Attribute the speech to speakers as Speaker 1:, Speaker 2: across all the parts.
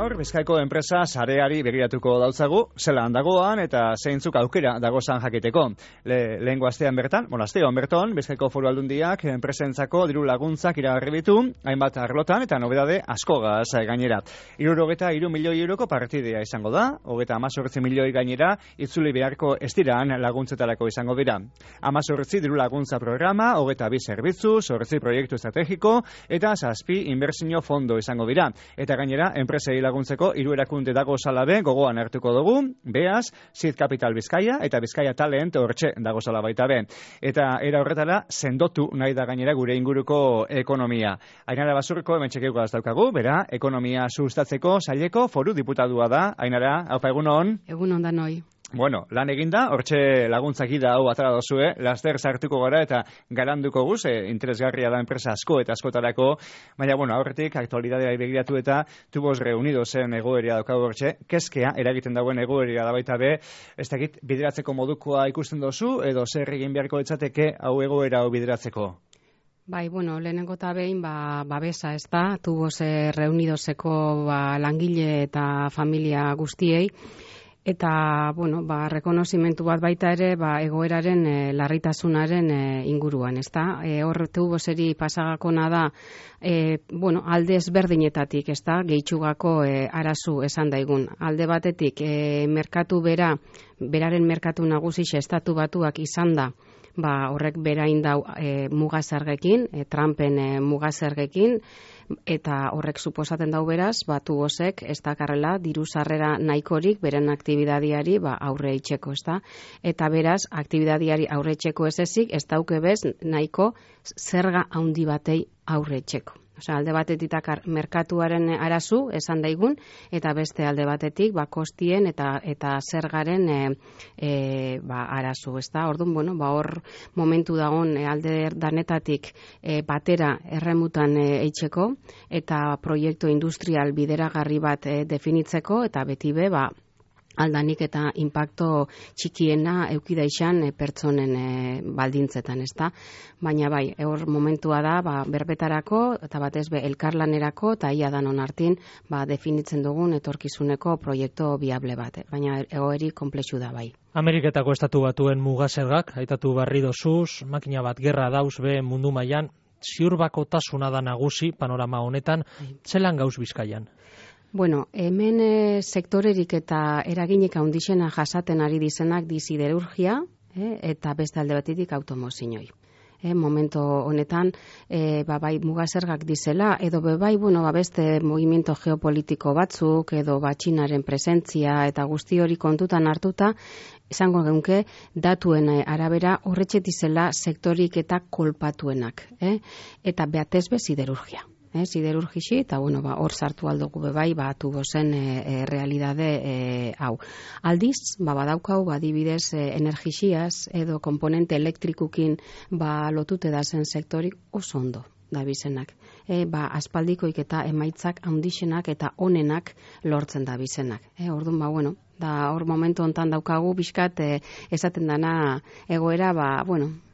Speaker 1: Gaur, Bizkaiko enpresa sareari begiratuko dautzagu, zelan dagoan eta zeintzuk aukera dagozan jakiteko. Lehengo astean bertan, astean berton, Bizkaiko Foru Aldundiak enpresentzako diru laguntzak iragarri ditu, hainbat arlotan eta nobedade askogaz gainera. 63 milioi euroko partidea izango da, 18 milioi gainera, itzuli beharko ez diran laguntzetarako izango dira. 18 diru laguntza programa, 22 zerbitzu, 8 proiektu estrategiko eta 7 inbertsio fondo izango dira. Eta gainera, enpresei laguntzeko 3 erakunde dago salabe gogoan hartuko dugu, Beaz, Seed Capital Bizkaia eta Bizkaia Talent hortxe dago zala baita be. Eta era horretara, sendotu nahi da gainera gure inguruko ekonomia. Ainara Basurriko hemen txekeuko daukagu, bera, ekonomia sustatzeko saileko foru diputadua da. Ainara, haupa egunon?
Speaker 2: Egunon da noi.
Speaker 1: Bueno, lan eginda, hortxe laguntzak ida hau atara dozue, laster sartuko gara eta garanduko guz, interesgarria da enpresa asko eta askotarako, baina, aurretik, aktualidadea begiratu eta tubos reunidozen egoeria daukagu hortxe, kezkea eragiten dagoen egoeria da baita be, ez dakit bideratzeko modukoa ikusten dozu, edo zer egin beharko etzateke hau egoera hau bideratzeko?
Speaker 2: Bai, lehenengo eta behin, babesa ez da, tubos reunidoseko langile eta familia guztiei, eta, rekonozimentu bat baita ere, egoeraren larritasunaren inguruan, ez da? Hor tuboseri pasagakona da, alde ezberdinetatik, ez da? Gehitxugako arazu esan daigun. Alde batetik, beraren merkatu nagusixe estatu batuak izan da, horrek berain dau mugazergekin, Trumpen mugazergekin, eta horrek suposaten dau beraz, tubosek ez dakarrela diru sarrera nahikorik beren aktibidadiari aurre itxeko, ez da? Eta beraz, aktibidadiari aurre itxeko ez ezik, ez dauke bez nahiko zerga handi batei aurre itxeko. Alde batetik merkatuaren arazu esan daigun, eta beste alde batetik kostien eta zergaren arazu, ez da? Orduan, hor momentu dagoen alde danetatik batera erremutan eitzeko eta proiektu industrial bideragarri bat definitzeko, eta beti be, aldanik eta impacto txikiena eukida izan pertsonen baldintzetan, ez da? Baina hor momentua da, berbetarako eta batez be elkarlanerako eta ia danon hartin definitzen dugun etorkizuneko proiektu viable bat. Baina egoeri komplexu da bai.
Speaker 3: Ameriketako estatu batuen mugazergak, aitatu barri dozuz, makina bat gerra dauz be mundu mailan, ziurbakotasuna da nagusi panorama honetan, zelan gauz Bizkaian?
Speaker 2: Hemen sektorerik eta eraginik handixena jasaten ari dizenak siderurgia eta beste alde batetik automozinoi. Momento honetan, bai mugazergak dizela, edo beste movimiento geopolitiko batzuk, edo Txinaren presentzia eta guzti hori kontutan hartuta, izango geunke datuen arabera horretxe dizela sektorik eta kolpatuenak. Eta behatez be siderurgia. Siderurgixi, eta hor sartu aldugu bebai, tubozen realidade hau. Aldiz, badaukau, adibidez, energixiaz edo komponente elektrikukin lotute da zen sektorik oso ondo da bizenak. Aspaldikoik eta emaitzak handixenak eta onenak lortzen da bizenak. Orduan, hor momentu hontan daukagu, bizkat, esaten dana egoera,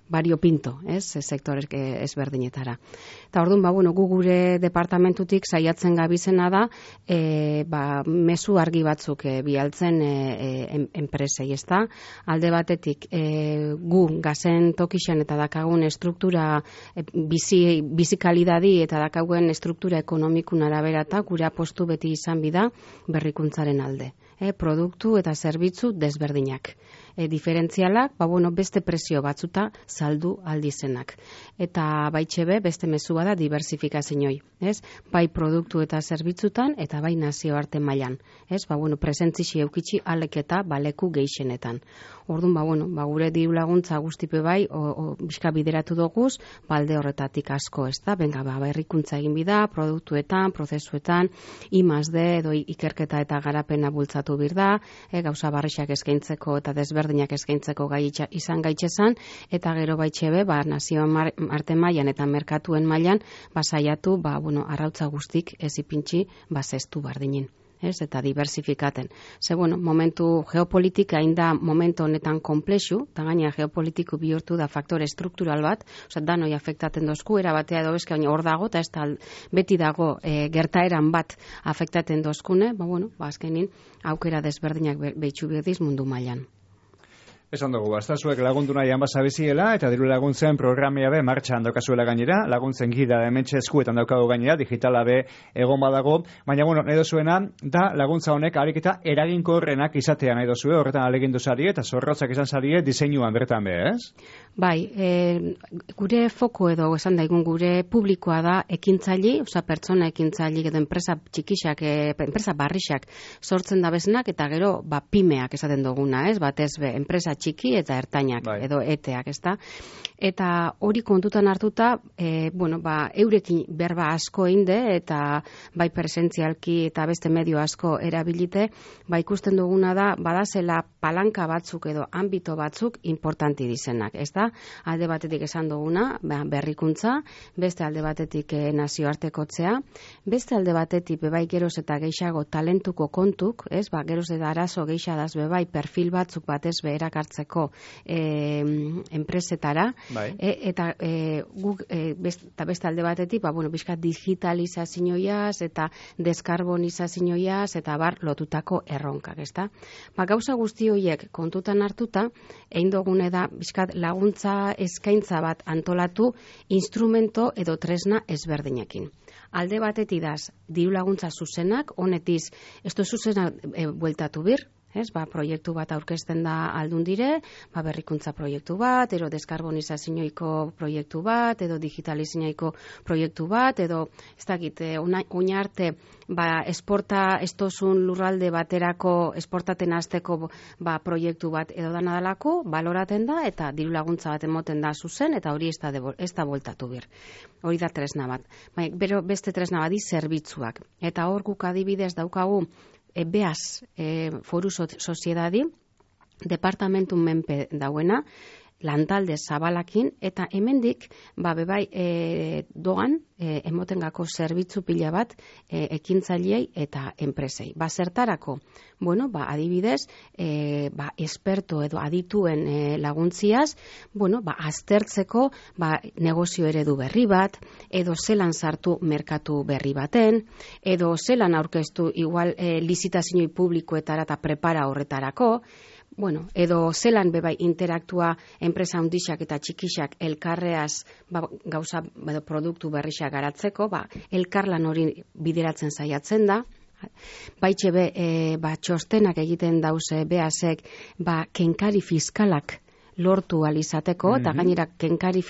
Speaker 2: variopinto, sektorek ezberdinetara. Eta orduan, gu gure departamentutik saiatzen gabizena da, mezu argi batzuk bialtzen enpresei, ez da? Alde batetik, gu gazen tokixen eta dakagun struktura bizikalidadi eta dakagun struktura ekonomikun arabera eta gure apostu beti izan bida berrikuntzaren alde. Produktu eta zerbitzu desberdinak. Diferentzialak, beste presio batzuta saldu aldizenak. Eta baitxebe, beste mezua da diversifikaziooi. Bai produktu eta zerbitzutan, eta bai nazioarte mailan. Presentzixi eukitxi alek eta baleku geixenetan. Orduan, gure diru laguntza guztipe bai, bizka bideratu doguz, balde horretatik asko, ez da? Berrikuntza egin bida, produktuetan, prozesuetan, I+D edo ikerketa eta garapena bultzatu birda, gauza barrixak eskaintzeko eta desberdinak eskaintzeko gai izan gaitxezan, eta gero baitxebe, nazioan arte mailan eta merkatuen mailan, saiatu, arrautza guztik ez ipintxi, zeztu bardinin. eta diversifikaten. Ze, bueno, momentu geopolitika inda momentu honetan komplexu, eta gaina geopolitiku bihurtu da faktore struktural bat, danoi afektaten dozku, erabatea edo bezka, baina hor dago, eta ez da beti dago gertaeran bat afektaten dozkune, azkenin aukera desberdinak behitxu behediz mundu mailan.
Speaker 1: Esan dugu, zuek lagundu nahian basabiziela eta diru laguntzen programia be martxan daukazuela gainera, laguntzen gida hementxe eskuetan daukago gainera, digitala be egon badago, baina nahi dozuena da laguntza honek ariketa eraginkorrenak izatea nahi dozue, horretan alegindu zarie eta zorrotzak izan zarie diseinuan bertan be, ez?
Speaker 2: Bai, gure foko edo esan daigun gure publikoa da ekintzaili, pertsona ekintzaili edo enpresa txikixak, enpresa barrixak sortzen da beznak eta gero pimeak esaten duguna, ez? Batez be, enpresa txiki eta ertainak edo eteak, ezta? Eta hori kontutan hartuta, eurekin berba asko einde eta bai presentzialki eta beste medio asko erabilite, ikusten duguna da, badazela palanka batzuk edo ámbito batzuk importanti dizenak, ezta? Alde batetik esan duguna, berrikuntza, beste alde batetik nazioartekotzea, beste alde batetik bebai geroz eta geixago talentuko kontuk, ez? Geroz eta arazo geixadaz bebai perfil batzuk batez beherak hartzeko enpresetara, eta guk beste alde batetik, bizkat digitalizazioaz eta deskarbonizazioaz eta lotutako erronkak, ezta? Gauza guzti horiek kontutan hartuta, egin dugune da bizkat laguntza eskaintza bat antolatu instrumento edo tresna ezberdinekin. Alde batetik daz, diru laguntza zuzenak, honetiz, ez du zuzenak bueltatu bir, proiektu bat aurkezten da Aldundire, berrikuntza proiektu bat, edo deskarbonizazioiko proiektu bat, edo digitalizazioiko proiektu bat, edo ez dakit, oin arte esporta estozun lurralde baterako esportaten hasteko proiektu bat edo da nadalako, baloraten da, eta diru laguntza bat emoten da zuzen, eta hori ez da bueltatu bir. Hori da tresna bat. Bero beste tresna badi zerbitzuak. Eta hor guk adibidez daukagu Beaz, foru soziedadi, departamentu menpe dauena, lantalde zabalakin, eta hemendik, bebai doan, emotengako zerbitzu pila bat ekintzailei eta enpresei. Zertarako, adibidez, esperto edo adituen laguntziaz, aztertzeko negozio eredu berri bat, edo zelan sartu merkatu berri baten, edo zelan aurkeztu igual lizitazioi publikoetara eta prepara horretarako, edo zelan bebai interaktua enpresa handixak eta txikixak elkarreaz gauza produktu berrixak garatzeko, elkarlan hori bideratzen saiatzen da. Baitxe txostenak egiten dauze Beazek kenkari fiskalak lortu alizateko, eta gainera kenkari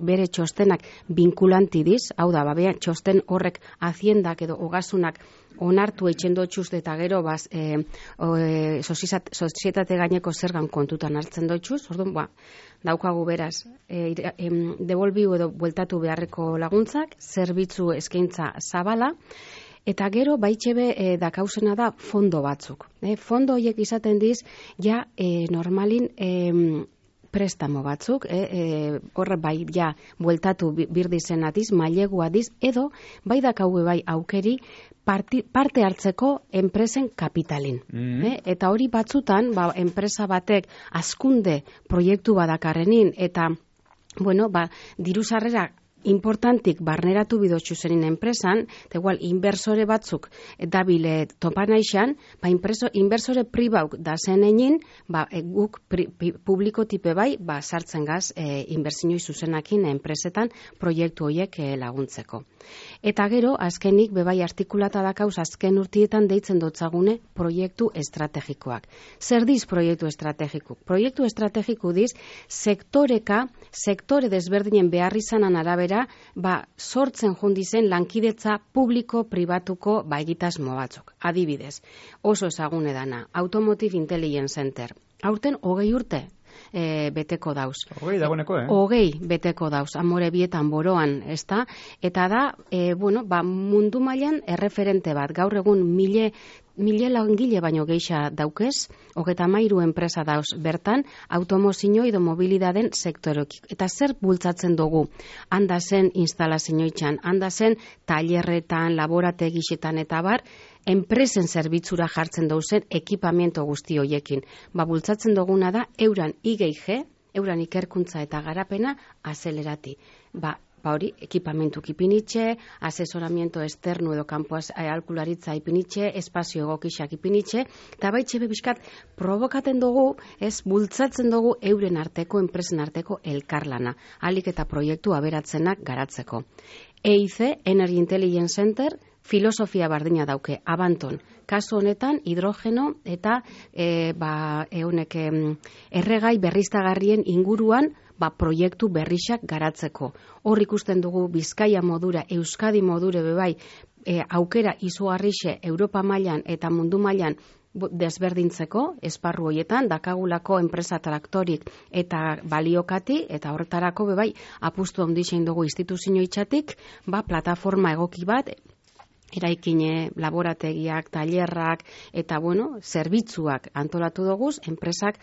Speaker 2: bere txostenak vinkulantidiz, hau da, txosten horrek haziendak edo ogasunak onartu eitzen dotxuz eta gero sozietate gaineko zergan kontutan hartzen dotxuz, orduan, daukagu beraz, devolbiu edo bueltatu beharreko laguntzak, zerbitzu eskaintza zabala, eta gero baitxebe dakauzena da fondo batzuk. Fondo horiek izaten diz, normalin prestamo batzuk, horre bueltatu birdizen atiz, mailegu adiz, edo bai dakauge aukeri parte hartzeko enpresen kapitalin. Eta hori batzutan, enpresa batek askunde proiektu badakarrenin, eta, diru sarrera importantik barneratu bidotxu zerin enpresan, eta igual, inversore batzuk dabile topan aixan, inversore pribauk da zenenin, guk publiko tipe sartzen gaz inbertsioi zuzenakin enpresetan proiektu horiek laguntzeko. Eta gero, azkenik, bebai artikulata dakauz, azken urtietan deitzen dotzagune proiektu estrategikoak. Zer diz proiektu estrategiko? Proiektu estrategiko diz, sektore desberdinen beharrizanan arabera, sortzen jundizen lankidetza publiko-pribatuko egitasmo batzuk. Adibidez, oso ezagune dana, Automotive Intelligence Center. Aurten 20 urte beteko dauz.
Speaker 1: 20 dagoeneko,
Speaker 2: 20 beteko dauz, Amore bietan boroan, ezta? Eta da, mundu mailan erreferente bat, gaur egun langile baino geixa daukez, 33 enpresa dauz bertan, automozio edo mobilidaden sektorok. Eta zer bultzatzen dugu? Handa zen instalazioitzan, handa zen tailerretan, laborategixetan eta bar, enpresen zerbitzura jartzen dauzen ekipamiento guzti hoiekin. Bultzatzen duguna da, euran IGG, euran ikerkuntza eta garapena azelerati. Hori, ekipamentuk ipinitxe, asesoramiento externo edo kanpo aholkularitza ipinitxe, espazio egokixak ipinitxe, eta baitxe bebiskat provokaten dugu, bultzatzen dugu euren arteko, enpresen arteko elkarlana, alik eta proiektu aberatzenak garatzeko. EIC, Energy Intelligence Center, filosofia bardina dauke, Abanton, kasu honetan hidrogeno eta erregai berriztagarrien inguruan proiektu berrixak garatzeko. Hor ikusten dugu Bizkaia modura, Euskadi modure bebai, aukera izugarrixe Europa mailan eta mundu mailan desberdintzeko, esparru hoietan, dakagulako enpresa traktorik eta baliokati, eta horretarako bebai, apustu handixein dugu instituzio itxatik, plataforma egoki bat, eraikine, laborategiak, tailerrak, eta zerbitzuak antolatu doguz, enpresak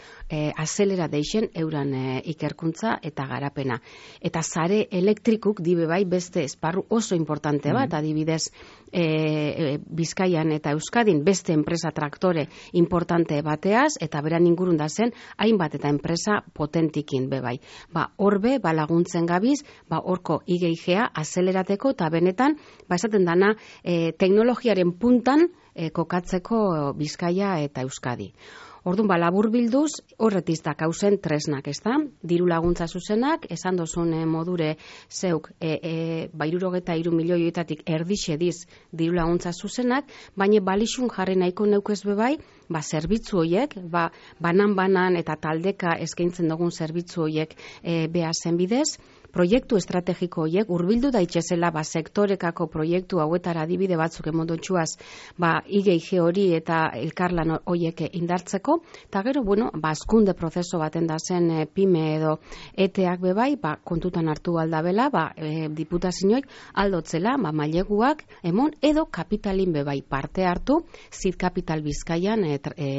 Speaker 2: azelera deixen euran ikerkuntza eta garapena. Eta sare elektrikuk dibe bai beste esparru oso importante bat, adibidez Bizkaian eta Euskadin beste enpresa traktore importante bateaz, eta beran ingurun da zen, hainbat eta enpresa potentikin bebai. Horbe, laguntzen gabiz, horko IGIGA azelerateko, eta benetan, esaten dana, teknologiaren puntan kokatzeko Bizkaia eta Euskadi. Orduan, labur bilduz, horretiz dakauzen tresnak, ez da? Diru laguntza zuzenak, esan dozun modure zeuk, 63 milioietatik erdixe diz diru laguntza zuzenak, baina balixun jarri nahiko neukez bebai, zerbitzu horiek, banan-banan eta taldeka eskaintzen dugun zerbitzu horiek behazen bidez, proiektu estrategiko horiek urbildu daitezela sektorekako proiektu hauetara adibide batzuk emondotxuaz IGG hori eta elkarlan horiek indartzeko, eta gero, azkunde prozeso baten da zen PYME edo ETEak bebai, kontutan hartu aldabela, diputazioek aldotzela, maileguak emon edo kapitalin bebai parte hartu, zid kapital Bizkaian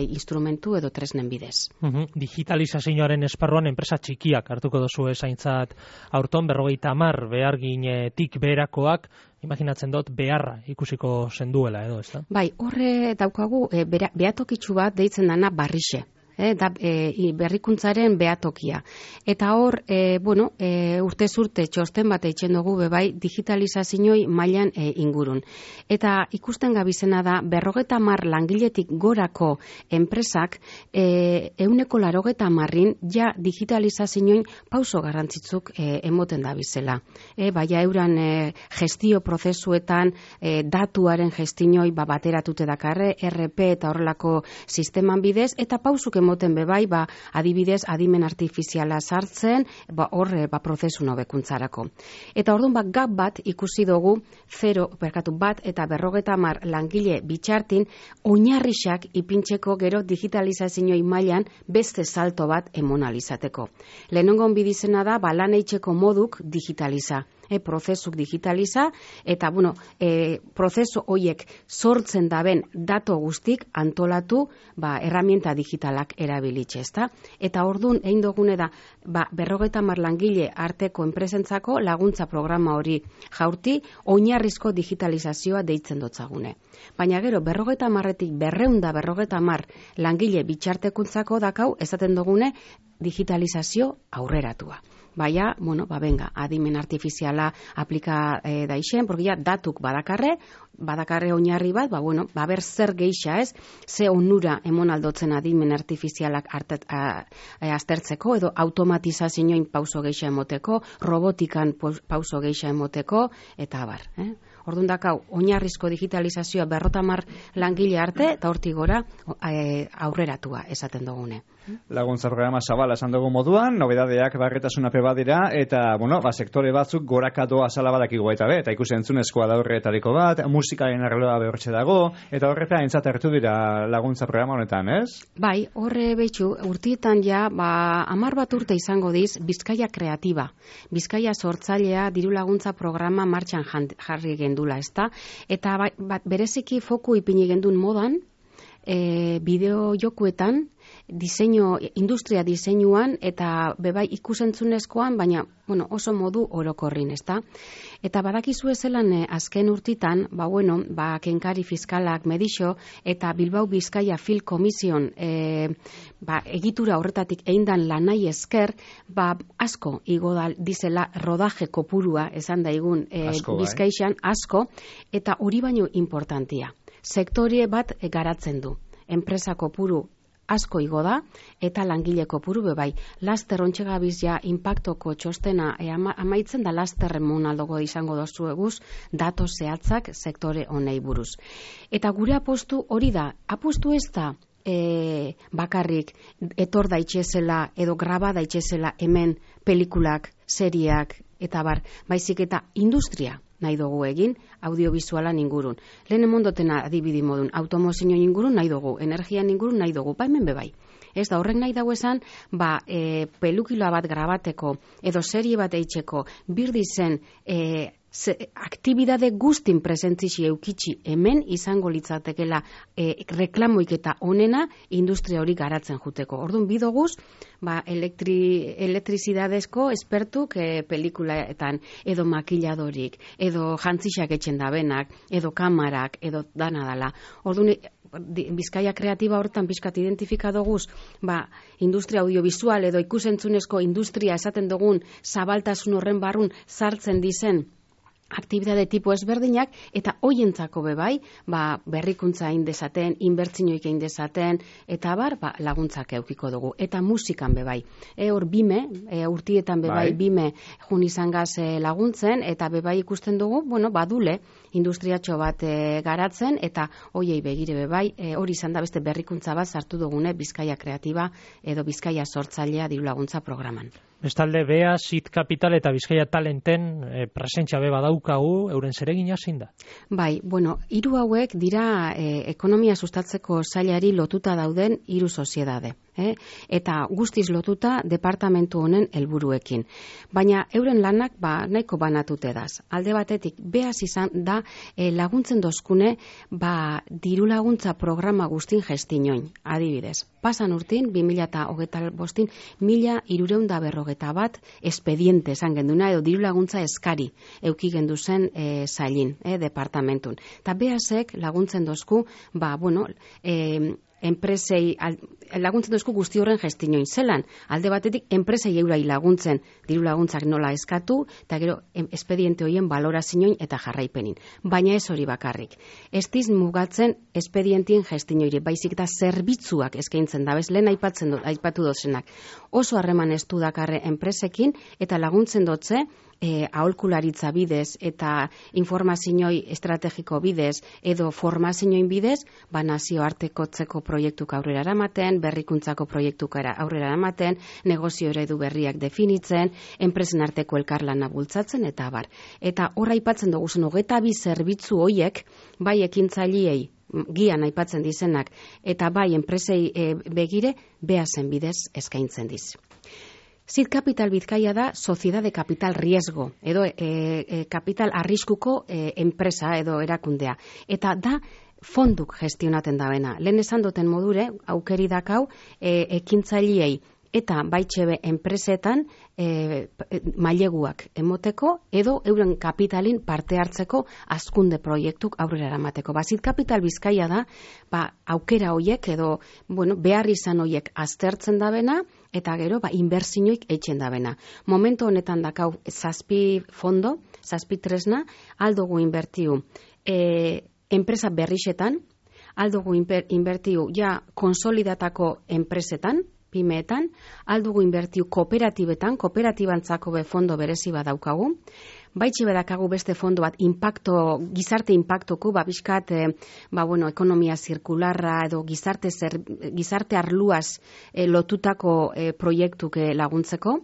Speaker 2: instrumentu edo tresnen bidez.
Speaker 3: Digitalizazioaren esparruan enpresa txikiak hartuko dozu esaintzat aurton 50 beharginetik beherakoak, imaginatzen dut beharra ikusiko zenduela edo, ez da? Bai,
Speaker 2: horre daukagu behatokitsu bat deitzen dana barrixe. Berrikuntzaren behatokia. Eta hor, urtez urte txosten bat eitzen dugu bebai digitalizazioi mailan ingurun. Eta ikusten gabizena da, 50 langiletik gorako enpresak 180 ja digitalizazioin pauso garrantzitsuk emoten da bizela. Baina euran gestio prozesuetan datuaren gestioi bateratute dakarre, RP eta horrelako sisteman bidez, eta pausuk moten bebai, adibidez, adimen artifiziala sartzen, prozesu nobekuntzarako. Eta orduan, gap bat ikusi dugu, bat eta 50 langile bitxartin, oinarrixak ipintzeko gero digitalizazioi mailan beste salto bat emonalizateko. Lehenengon bidizena da, lan eitzeko moduk digitaliza. Prozesuk digitaliza, eta prozesu horiek sortzen daben dato guztik antolatu herramienta digitalak erabilitxe, ezta? Eta orduan, egin dugune da, 50 langile arteko enpresentzako laguntza programa hori jaurti, oinarrizko digitalizazioa deitzen dotzagune. Baina gero, 50-etik 250 langile bitxartekuntzako dakau, esaten dugune, digitalizazio aurreratua. Baina, benga, adimen artifiziala aplika daixen, porque ja datuk badakarre oinarri bat, ber zer geixa ez, ze onura emon aldotzen adimen artifizialak aztertzeko, edo automatizazioin pauso geixa emoteko, robotikan pauso geixa emoteko, eta abar. Orduan dakau, oinarrizko digitalizazioa 50 langile arte, eta hortik gora aurreratua esaten dugune.
Speaker 1: Laguntza programa zabala esan dugu moduan, nobedadeak barretasuna badira, eta, sektore batzuk goraka doa zala badakigu eta ikusi entzunezkoa da horretariko bat, musikaren arloa behortxe dago, eta horreta entzat hartu dira laguntza programa honetan, ez?
Speaker 2: Bai, horre behitxu, urtietan ja, 10 bat urte izango diz, Bizkaia kreatiba. Bizkaia sortzailea diru laguntza programa martxan jarri gendula, ezta? Eta bereziki foku ipini gendun modan, bideo jokuetan, industria diseinuan eta bebai ikusentzunezkoan, baina oso modu orokorrin, ezta? Eta badakizu zelan azken urtitan, kenkari fiskalak Medixo eta Bilbao Bizkaia Film Komision egitura horretatik eindan lanai esker, asko igo dizela rodaje kopurua, esan daigun Bizkaixan, asko, eta hori baino importantia. Sektore bat garatzen du. Enpresa kopuru asko igo da, eta langile kopuru bebai. Laster ontsegabiz ja inpaktoko txostena amaitzen da, laster monaldogo izango dozu eguz, dato zehatzak sektore honei buruz. Eta gure apostu hori da, apostu ez da bakarrik etor daitxezela edo graba daitxezela hemen pelikulak, seriak, eta baizik eta industria nahi dugu egin, audiovisualan ingurun. Lehen emondotena adibidi modun, automozio ingurun nahi dugu, energian ingurun nahi dugu, hemen bebai. Ez da, horrek nahi dago esan, pelukiloa bat grabateko, edo serie bat eitzeko, birdi zen, aktibidade guztin presentzisi eukitsi hemen izango litzatekela reklamoik eta onena industria hori garatzen juteko. Orduan bidoguz, elektrizidadezko espertuk pelikulaetan, edo makiladorik, edo jantzixak etxen dabenak, edo kamarak, edo dana dala. Orduan, Bizkaia kreatiba hortan pixkat identifikadoguz, industria audiovisual edo ikusentzunezko industria esaten dugun zabaltasun horren barrun sartzen dizen aktibidade tipo ezberdinak, eta hoientzako bebai, berrikuntza egin dezaten, inbertsioik egin dezaten, eta laguntzak eukiko dugu. Eta musikan bebai. Hor bime, urtietan bebai bime jun izan gaz laguntzen, eta bebai ikusten dugu, badule, industriatxo bat garatzen, eta hoiei begire bebai, hori izan da beste berrikuntza bat sartu dugune Bizkaia kreatiba edo Bizkaia sortzailea diru laguntza programan.
Speaker 3: Bestalde, Bea, Sit Capital eta Bizkaia Talenten presentzia beba daukagu, euren zeregina zein da?
Speaker 2: Hiru hauek dira ekonomia sustatzeko sailari lotuta dauden hiru soziedade. Eta guztiz lotuta departamentu honen helburuekin. Baina euren lanak nahiko banatute daz. Alde batetik, Beaz izan da laguntzen dozkune diru laguntza programa guztin gestinoin, adibidez. Pasan urtin, 2025, 1.341 espediente esan genduna, edo diru laguntza eskari euki gendu zen sailin, departamentun. Eta Beazek laguntzen dozku, enpresei laguntzen duzku guzti horren gestinoin zelan. Alde batetik, enpresei eurai laguntzen, diru laguntzak nola eskatu, eta gero espediente horien balorazioin eta jarraipenin. Baina ez hori bakarrik. Ez diz mugatzen espedientien gestinoiri, baizik eta zerbitzuak eskaintzen da, lehen aipatu dozenak. Oso harreman ez du dakarre enpresekin, eta laguntzen dotze, aholkularitza bidez eta informazioi estrategiko bidez edo formazioin bidez, nazioartekotzeko proiektuk aurrera eramaten, berrikuntzako proiektuk aurrera eramaten, negozio eredu berriak definitzen, enpresen arteko elkarlana bultzatzen, eta abar. Eta horra aipatzen dugu zen, 22 zerbitzu hoiek, bai ekintzailei gian aipatzen dizenak, eta bai enpresei begire, Beazen bidez eskaintzen diz. Sit Capital Bizkaia da Sociedad de Capital Riesgo, edo kapital arriskuko enpresa edo erakundea. Eta da fonduk gestionaten dabena. Lehen esan duten modure, aukeri dakau, ekintzailei eta baitxebe enpresetan maileguak emoteko edo euren kapitalin parte hartzeko hazkunde proiektuk aurrera eramateko. Sit Capital Bizkaia da, aukera hoiek edo, behar izan hoiek aztertzen dabena, eta gero, inbertsioik eitzen dabena. Momentu honetan dakau 7 fondo, 7 tresna, aldugu inbertiu enpresa berrixetan, aldugu inbertiu konsolidatako enpresetan, pimeetan, aldugu inbertiu kooperatibetan, kooperatibantzako fondo berezi bat daukagu, baitxe bedakagu beste fondo bat gizarte impactoko, bizkat, ekonomia zirkularra edo gizarte arluaz lotutako proiektuk laguntzeko.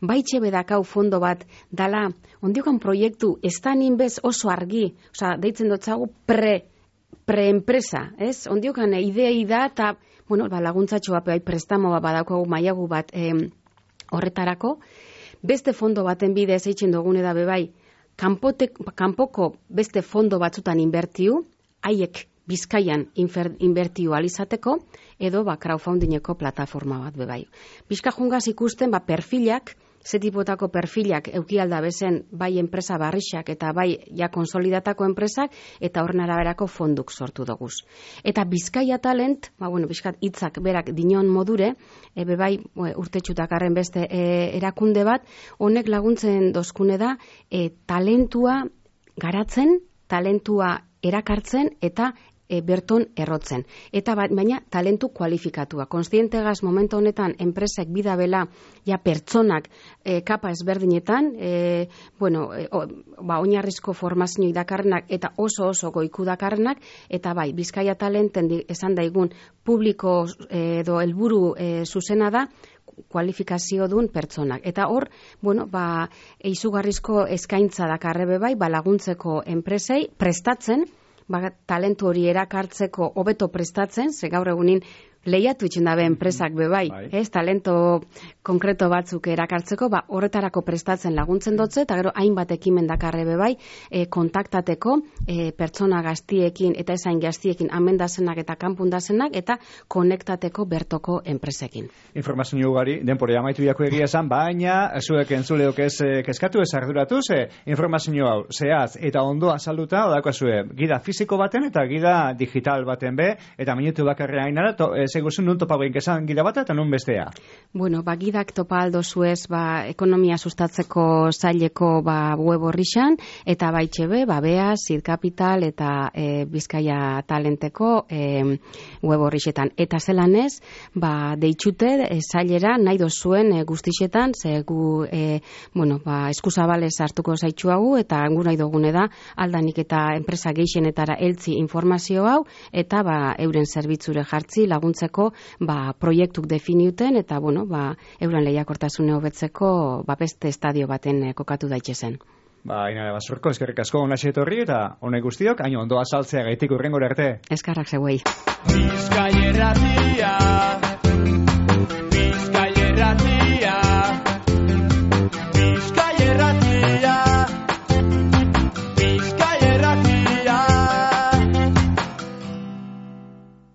Speaker 2: Baitxe bedakau fondo bat dala, ondiokan proiektu ez da ninbez oso argi, deitzen dutzagu pre-enpresa, ez? Ondiokan idei da, eta laguntzatxo bat, prestamo bat badaukagu mailagu bat horretarako. Beste fondo baten bidez eitzen dugune da bebai, kanpoko beste fondo batzutan inbertiu, haiek Bizkaian inbertio alizateko, edo crowdfundingeko plataforma bat bebai. Bizka jungaz ikusten perfilak, ze tipotako perfilak eukialda bezen bai enpresa barrixak eta bai ja konsolidatako enpresak eta horren araberako fonduk sortu doguz. Eta Bizkaia Talent, bizkat hitzak berak dinon modure, bebai urtetxutakarren beste erakunde bat, honek laguntzen dozkune da talentua garatzen, talentua erakartzen eta berton errotzen. Eta baina talentu kualifikatua. Konstientegaz momentu honetan enpresek bidabela ja pertsonak kapa ezberdinetan, oinarrizko formazio dakarrenak eta oso goiku dakarrenak, eta bai, Bizkaia Talenten esan daigun publiko edo helburu zuzena da kualifikazio duen pertsonak. Eta hor, izugarrizko eskaintza dakarrebe bai, laguntzeko enpresei prestatzen, talentu hori erakartzeko hobeto prestatzen, ze gaur egunin lehiatu itxen dabe enpresak bebai, talento konkreto batzuk erakartzeko, horretarako prestatzen laguntzen dutze, eta gero hainbat ekimen dakarre bebai, kontaktateko pertsona gaztiekin eta esain gaztiekin amendazenak eta kanpundazenak, eta konektateko bertoko enpresekin.
Speaker 1: Informazio ugari, denpore amaitu diako egia esan, baina zuek entzuleok ez kezkatu, ez arduratu, informazio hau, zehaz eta ondo azalduta, odako zue, gida fisiko baten eta gida digital baten be, eta minutu bakarrean ainara, segurzen nun topa esan gida bat eta nun bestea?
Speaker 2: Gidak topa aldo zuez ekonomia sustatzeko zaileko web horrixan, eta baitxebe, bea, Zid Capital eta Bizkaia Talenteko web horrixetan. Eta zelanez, deitxute zailera nahi dozuen guztixetan, ze gu eskuzabalez hartuko zaitxuagu, eta gu nahi dugune da, aldanik eta enpresa geixenetara heltzi informazio hau, eta euren zerbitzure jartzi laguntza proiektuk definiuten eta euren lehiakortasune hobetzeko beste estadio baten kokatu daitzezen.
Speaker 1: Inara Basurko, eskerrik asko onaxe etorri eta honek guztiok, haino ondo azaltzea gaitik urrengora arte.
Speaker 2: Eskarrak zeuei.
Speaker 4: Bizkaia Irratia